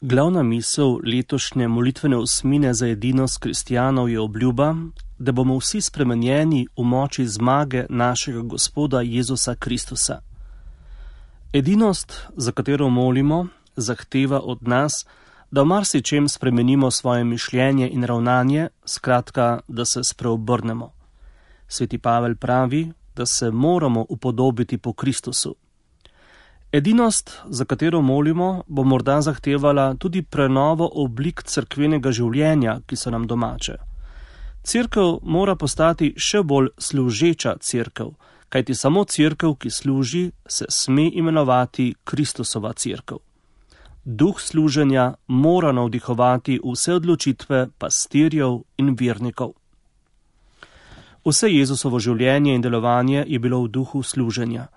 Glavna misel letošnje molitvene osmine za edinost kristjanov je obljuba, da bomo vsi spremenjeni v moči zmage našega Gospoda Jezusa Kristusa. Edinost, za katero molimo, zahteva od nas, da v marsičem spremenimo svoje mišljenje in ravnanje, skratka, da se spreobrnemo. Sveti Pavel pravi, da se moramo upodobiti po Kristusu. Edinost, za katero molimo, bo morda zahtevala tudi prenovo oblik cerkvenega življenja, ki so nam domače. Cerkev mora postati še bolj služeča cerkev, kajti samo cerkev, ki služi, se sme imenovati Kristusova cerkev. Duh služenja mora navdihovati vse odločitve pastirjev in vernikov. Vse Jezusovo življenje in delovanje je bilo v duhu služenja.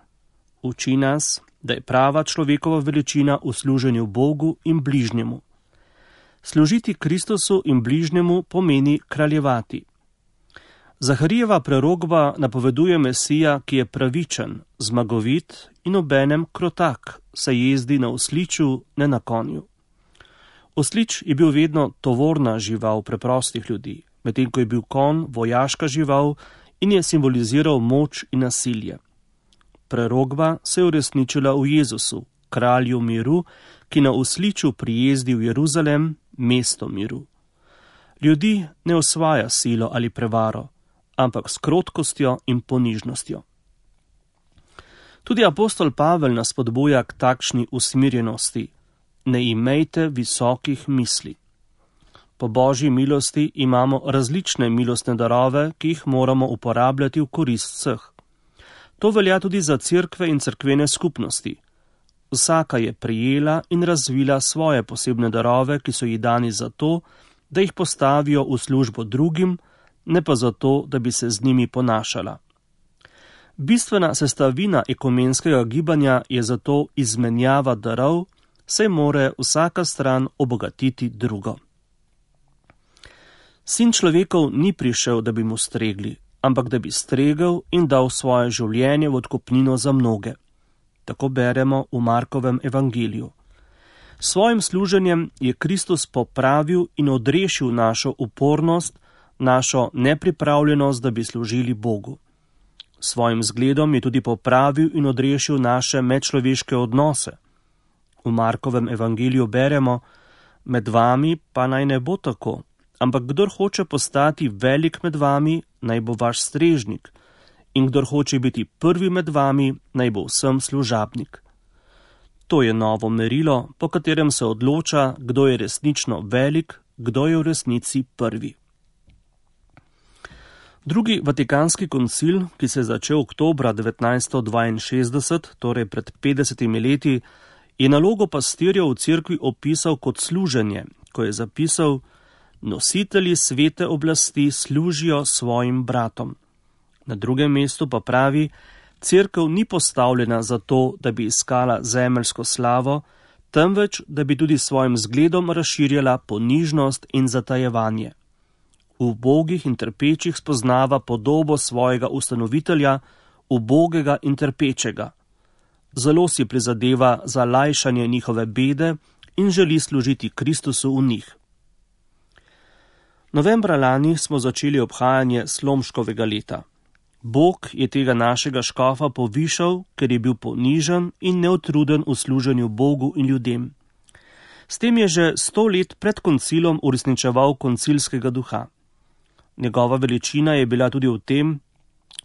Uči nas, da je prava človekova veličina v služenju Bogu in bližnjemu. Služiti Kristusu in bližnjemu pomeni kraljevati. Zaharijeva prerokba napoveduje Mesija, ki je pravičen, zmagovit in obenem krotak, saj jezdi na osliču, ne na konju. Oslič je bil vedno tovorna žival preprostih ljudi, medtem ko je bil konj vojaška žival in je simboliziral moč in nasilje. Prerokba se je uresničila v Jezusu, kralju miru, ki na osliču prijezdi v Jeruzalem, mesto miru. Ljudi ne osvaja silo ali prevaro, ampak s krotkostjo in ponižnostjo. Tudi apostol Pavel nas spodbuja k takšni usmirjenosti. Ne imejte visokih misli. Po Božji milosti imamo različne milostne darove, ki jih moramo uporabljati v korist vseh. To velja tudi za cerkve in cerkvene skupnosti. Vsaka je prijela in razvila svoje posebne darove, ki so ji dani zato, da jih postavijo v službo drugim, ne pa zato, da bi se z njimi ponašala. Bistvena sestavina ekumenskega gibanja je zato izmenjava darov, saj more vsaka stran obogatiti drugo. Sin človekov ni prišel, da bi mu stregli, ampak da bi stregel in dal svoje življenje v odkupnino za mnoge. Tako beremo v Markovem evangeliju. S svojim služenjem je Kristus popravil in odrešil našo upornost, našo nepripravljenost, da bi služili Bogu. S svojim zgledom je tudi popravil in odrešil naše medčloveške odnose. V Markovem evangeliju beremo: med vami pa naj ne bo tako, ampak kdor hoče postati velik med vami, naj bo vaš strežnik, in kdor hoče biti prvi med vami, naj bo vsem služabnik. To je novo merilo, po katerem se odloča, kdo je resnično velik, kdo je v resnici prvi. Drugi vatikanski koncil, ki se je začel oktobra 1962, torej pred 50 leti, je nalogo pastirjev v cerkvi opisal kot služenje, ko je zapisal: nositelji svete oblasti služijo svojim bratom. Na drugem mestu pa pravi: cerkev ni postavljena zato, da bi iskala zemeljsko slavo, temveč, da bi tudi svojim zgledom razširjala ponižnost in zatajevanje. V ubogih in trpečih spoznava podobo svojega ustanovitelja, ubogega in trpečega. Zelo si prizadeva za lajšanje njihove bede in želi služiti Kristusu v njih. Novembra lani smo začeli obhajanje Slomškovega leta. Bog je tega našega škofa povišal, ker je bil ponižen in neutruden v služenju Bogu in ljudem. S tem je že 100 let pred koncilom uresničeval koncilskega duha. Njegova veličina je bila tudi v tem,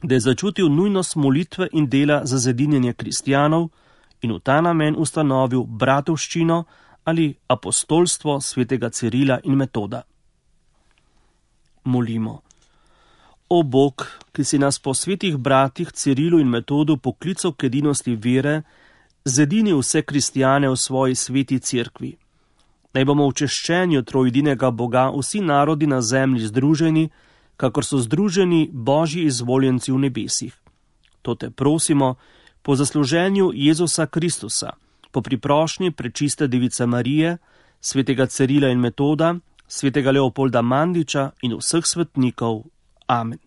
da je začutil nujnost molitve in dela za zedinjenje kristjanov in v ta namen ustanovil bratovščino ali apostolstvo svetega Cirila in Metoda. Molimo. O Bog, ki si nas po svetih bratih Cirilu in Metodu poklical k edinosti vere, zedini vse kristjane v svoji sveti cerkvi. Naj bomo v češčenju trojedinega Boga vsi narodi na zemlji združeni, kakor so združeni Božji izvoljenci v nebesih. To te prosimo po zasluženju Jezusa Kristusa, po priprošnji prečiste device Marije, svetega Cirila in Metoda, svetega Leopolda Mandiča in vseh svetnikov. Amen.